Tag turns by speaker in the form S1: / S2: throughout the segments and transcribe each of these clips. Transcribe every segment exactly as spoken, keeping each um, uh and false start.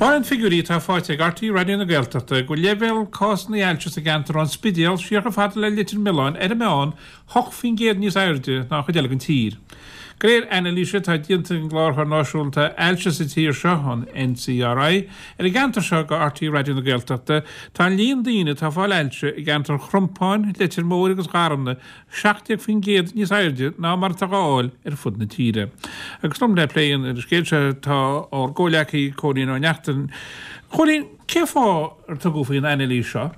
S1: Taispeánann figiúirí atá faighte ag RTÉ Raidió na Gaeltachta go bhfuil leibhéal cásanna ailse sa gceantar ón Spidéal siar chomh fada le Leitir Mealláin ar an meán hocht faoin gcéad níos airde ná an chuid eile den tír. De réir anailíse atá déanta ag an gCláraitheoir Náisiúnta Ailse sa tír seo, an NCRI, ar an gceantar seo do RTÉ Raidió na Gaeltachta, tá an líon daoine atá ag fáil ailse i gceantar Chrompáin, Leitir Móir agus Gharmna seacht déag faoin gcéad níos airde ná mar atá á fháil ar fud na tíre. Agus liom le plé an scéil seo tá ár gcomhleacaí Cóilín Ó Neachtain. Cóilín, cén fáth ar tugadh faoin anailís seo?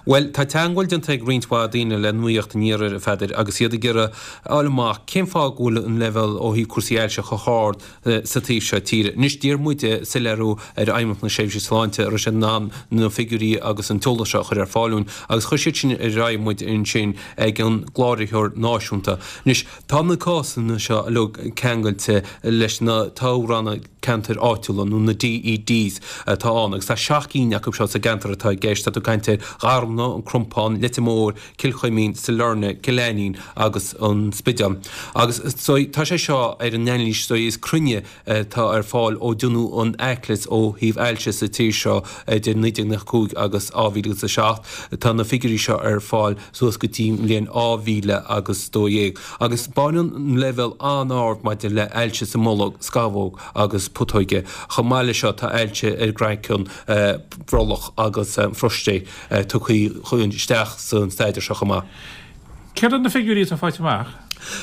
S2: Bhuel, tá teagmháil déanta ag roinnt mhaith daoine le Nuacht an Iarthair, a Pheadair, agus iad ag iarraidh a fháil amach cén fáth go bhfuil an leibhéal ó thaobh cúrsaí ailse chomh hard sa taobh seo tíre. Anois, d'iarr muide soiléiriú ar Fheidhmeannacht na Seirbhíse Sláinte an raibh siad in ann na figiúirí agus an t-eolas seo a chur ar fáil dúinn agus chuir siad sin ar aghaidh muid ansin ag an gCláraitheoir Náisiúnta. Anois, tá na cásanna seo uilig ceangailte leis na toghranna ceantair áitiúla, nó na DEDs, atá ann, agus tá seacht gcinn acu seo sa gceantar atá i gceist. Tá tú ag caint ar Gharmna, an Crompán, Leitir Móir, Cill Chuimín, Sailearna, Cill Ainnín agus an Spidéal. Agus tá sé seo ar an anailís is cruinne atá ar fáil ó déanadh an aicleas ó thaobh ailse sa tír seo idir naoi déag nócha cúig agus dhá mhíle agus a seacht. Tá na figiúirí seo ar fáil suas go dtí an bhliain dhá mhíle agus dó dhéag. Agus baineann an leibhéal an-ard maidir le hailse sa mbolg, scamhóg agus putóige. Chomh maith leis seo tá ailse ar an gcraiceann, brollach agus phróistéid tugtha isteach san staidéar seo chomh maith.
S1: Céard iad na figiúirí atá faighte amach?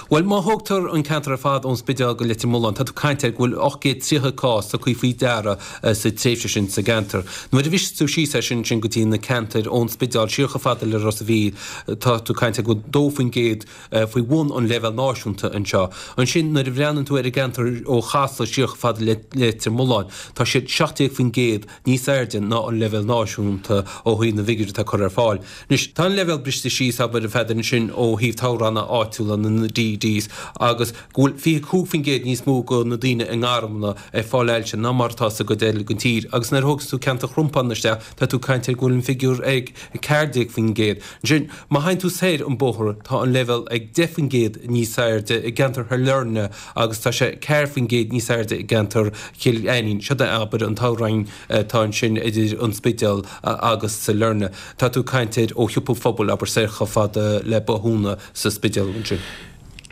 S2: Bhuel, má thógtar an ceantar ar fad ón Spidéal go Leitir Mealláin, tá tú ag caint ar go bhfuil ocht gcéad tríocha cás tugtha faoi deara sa tréimhse sin sa gceantar. Nuair a bhriseas tú síos é sin sin go dtí na ceantair ón Spidéal siar chomh fada le Ros a' Mhíl, tá tú ag caint ar go bhfuil dó faoin gcéad faoi bhun an leibhéil náisiúnta anseo. Ansin nuair a bhreathnaíonn tú ar an gceantar ó Chasla siar chomh fada le Leitir Mealláin, tá siad seacht déag faoin gcéad níos airde ná an leibhéal náisiúnta ó thaobh na bhfigiúirí atá curtha ar fáil. Anois, tá an leibhéal briste síos, abair, a Pheadair, ansin ó thaobh toghranna áitiúla na DEDs agus go bhfuil fiche cúig faoin gcéad níos mó de na daoine i nGarmna ag fáil ailse ná mar atá sa gcuid eile den tír. Agus nuair a thógas tú ceantar Chrompáin isteach, tá tú ag caint ar go bhfuil an figiúr ag ceathair déag faoin gcéad. Ansin, má théann tú soir an bóthar, tá an leibhéal ag deich faoin gcéad níos airde i gceantar Shailearna agus tá sé ceathair faoin gcéad níos airde i gceantar Chill Ainnín. Siod é, abair, an toghroinn atá ansin idir an Spidéal agus Sailearna. Tá tú ag caint ar ó Shiopa an Phobail, abair, soir chomh fada le Bothúna sa Spidéal ansin.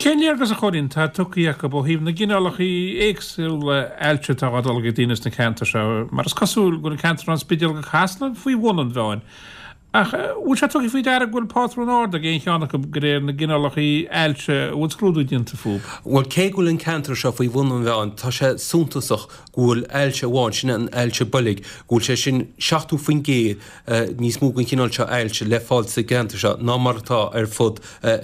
S1: Cén léargas, a Chóilín, atá tugtha acu ó thaobh na gcineálacha éagsúla ailse atá á dtolgadh ag daoine sna ceantair seo? Mar is cosúil go bhfuil an ceantar ón Spidéal go Casla faoi bhun an mheáin. Ach bhfuil sé tugtha faoi deara go bhfuil pátrún ard ag aon cheann acu de réir na gcineálacha ailse a bhfuil scrúdú déanta fúthu?
S2: Bhuel, cé go bhfuil an ceantar seo faoi bhun an mheáin, tá sé suntasach go bhfuil ailse amháin, sin an ailse boilg, go bhfuil sé sin seachtó faoin gcéad níos mó den chineál seo ailse le fáil sa gceantar seo ná mar atá ar fud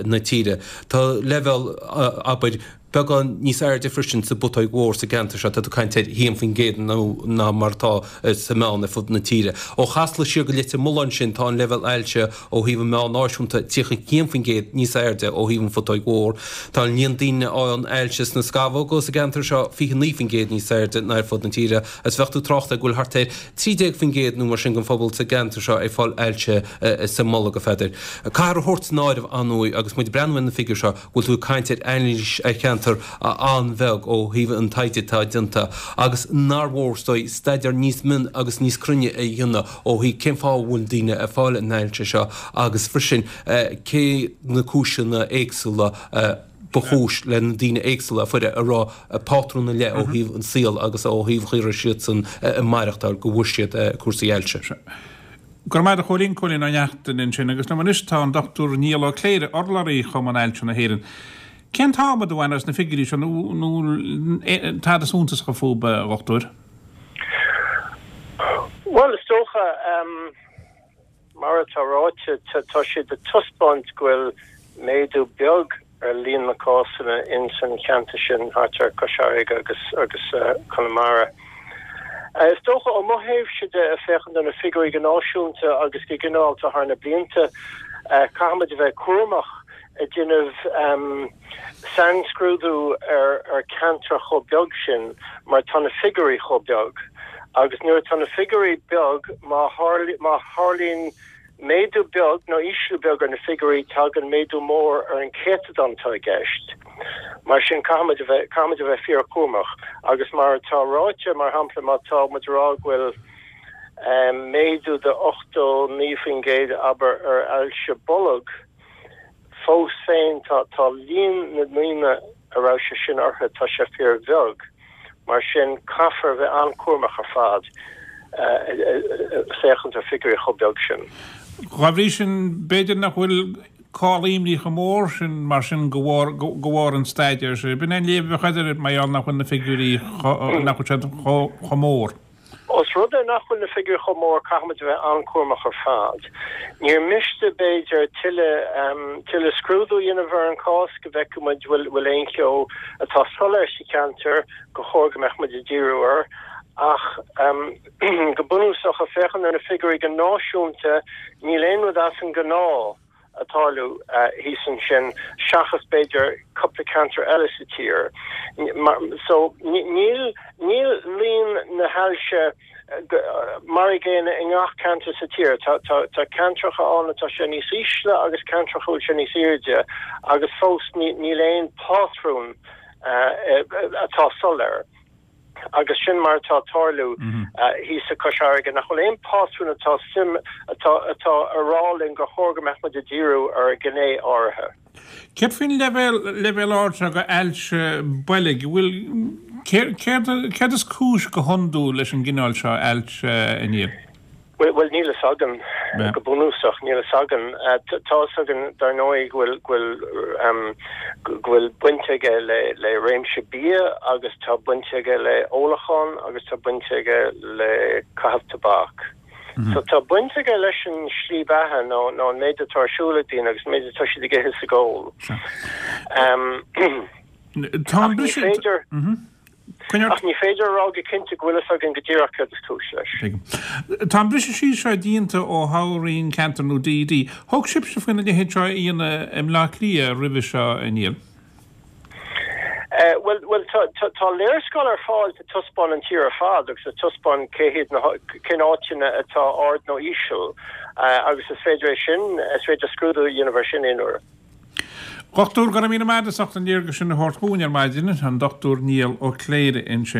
S2: na tíre. Tá leibhéal, abair, beagán níos airde freisin sa bputóig mhór sa gceantar seo, tá tú ag caint ar haon faoin gcéad nó ná mar atá sa meán ar fud na tíre. Ó Chasla siar go Leitir Mealláin ansin tá an leibhéal ailse ó thaobh an meán náisiúnta tríocha haon faoin gcéad níos airde ó thaobh an phutóig mhór. Tá an líon daoine a fhaigheann ailse sna scamhóga sa gceantar seo fiche naoi faoin gcéad níos airde ná ar fud na tíre agus bheadh tú ag trácht ar go bhfuil thart ar trí déag faoin gcéad nó mar sin den phobal sa gceantar seo ag fáil ailse sa mbolg, a Pheadair. Caithfear a thabhairt san áireamh, ar ndóigh, agus muid ag breathnú ar na figiúir seo, go bhfuil tú ag caint ar anailís ar cheantar an-bheag ó thaobh an taighde atá déanta agus nár mhór is dóigh staidéar níos mine agus níos cruinne a dhéanamh ó thaobh cén fáth a bhfuil daoine ag fáil an ailse seo agus freisin cé na cúiseanna éagsúla ba chúis le na daoine éagsúla a fuair a raibh pátrún ar leith ó thaobh an saol agus ó thaobh an chaoi a raibh siadsan ag maireachtáil go bhfuair siad cúrsaí ailse.
S1: Go raibh maith agat a Chóilín, Cóilín Ó Neachtain ansin agus liom anois tá an Dochtúir Niall Ó Cléire, urlabhraí Chumann Ailse na hÉireann. Cén t-adhmad a bhain as na figiúirí seo nó nó tada suntasach fúthu, a Dhochtúir?
S3: Bhuel, is dócha, mar atá ráite, tá siad ag taispeáint go bhfuil méadú beag ar líon na cásanna ins an cheantar sin thart ar Cois Fharraige agus agus Conamara. Is dócha ó mo thaobhse de, ag féachaint ar na figiúirí go náisiúnta agus go ginearálta thar na blianta, caithfimid a bheith cúramach ag déanamh sainscrúdú ar ar cheantar chomh beag sin mar tá na figiúirí chomh beag agus nuair atá na figiúirí beag má má tharlaíonn méadú beag nó ísliú beag ar na figiúirí, tagann méadú mór ar an céatadán atá i gceist. Mar sin caithfimid a bheith caithfimid a bheith fíorchúramach agus mar atá ráite mar shampla má tá muid ag rá go bhfuil méadú de ochtó naoi faoin gcéad abair ar ailse bolg, fós féin tá tá líon na ndaoine a raibh sé sin orthu tá sé fíorbheag. Mar sin caithfear a bheith an-chúramach ar fad féachaint ar figiúirí chomh beag sin.
S1: Dá bhrí sin, b'fhéidir nach bhfuil call imní chomh mór sin mar sin de bharr de bharr an staidéir seo. B'in é an léamh a bheadh agat air mar gheall nach bhfuil na figiúirí nach bhfuil siad chomh mór.
S3: Ós rud é nach bhfuil na figiúirí chomh mór, caithfimid a bheith an-chúramach ar fad. Níor mhiste, b'fhéidir, tuilleadh tuilleadh scrúdú a dhéanamh ar an chás go bhfeicfidh muid bhfuil bhfuil aon cheo atá soiléir sa cheantar gur chóir go mbeadh muid ag díriú air. Ach go bunúsach, ag féachaint ar na figiúirí go náisiúnta, níl aon rud as an ngnáth ag tarlú thíos ansin seachas b'fhéidir cúpla ceantar eile sa tír. So níl níl líon na hailse mar an gcéanna i ngach ceantar sa tír. Tá tá tá ceantracha ann atá sé níos ísle agus ceantracha a bhfuil sé níos airde agus fós níl aon pátrún atá soiléir. Agus sin mar atá ag tarlú thíos i Cois Fharraige, nach bhfuil aon pátrún atá suim atá atá ag rá linn gur chóir go mbeadh muid ag díriú ar ghné áirithe.
S1: Céard faoin leibhéal leibhéal ard seo de ailse boilg? Bhfuil céard céard is cúis go hiondúil leis an gcineál seo ailse, a Niall?
S3: Bhuel, níl fhios againn, go bunúsach, níl fhios againn. Tá fhios againn, dar ndóigh, go bhfuil, go bhfuil, go bhfuil baint aige le, le réimse bia agus tá baint aige le ólachán agus tá baint aige le caitheamh tobac. So tá baint aige leis an slí beatha nó, nó an méid atá ar siúl ag daoine agus an méid atá siad ag ithe is ag ól.
S1: Tá an briseadh.
S3: Ach ní féidir a rá go cinnte go bhfuil fhios againn go díreach céard is cúis leis.
S1: Tá an briseadh síos seo déanta ó thoghroinn ceantair nó DD. Thug sibhse faoina leithéid seo a dhéanamh i mBleá Cliath roimhe seo, a Niall?
S3: Bhuel, bhuel, tá, tá, tá léarscáil ar fáil ag taispeáint an tír ar fad agus ag taispeáint cé hiad na, cén áiteanna atá ard nó íseal agus is féidir é sin, is féidir scrúdú a dhéanamh air sin aon uair.
S1: Dhochtúir, go raibh míle maith agat as ucht an léargas sin a thabhairt dhúinn ar maidin, an Dochtúir Niall Ó Cléirigh ansin.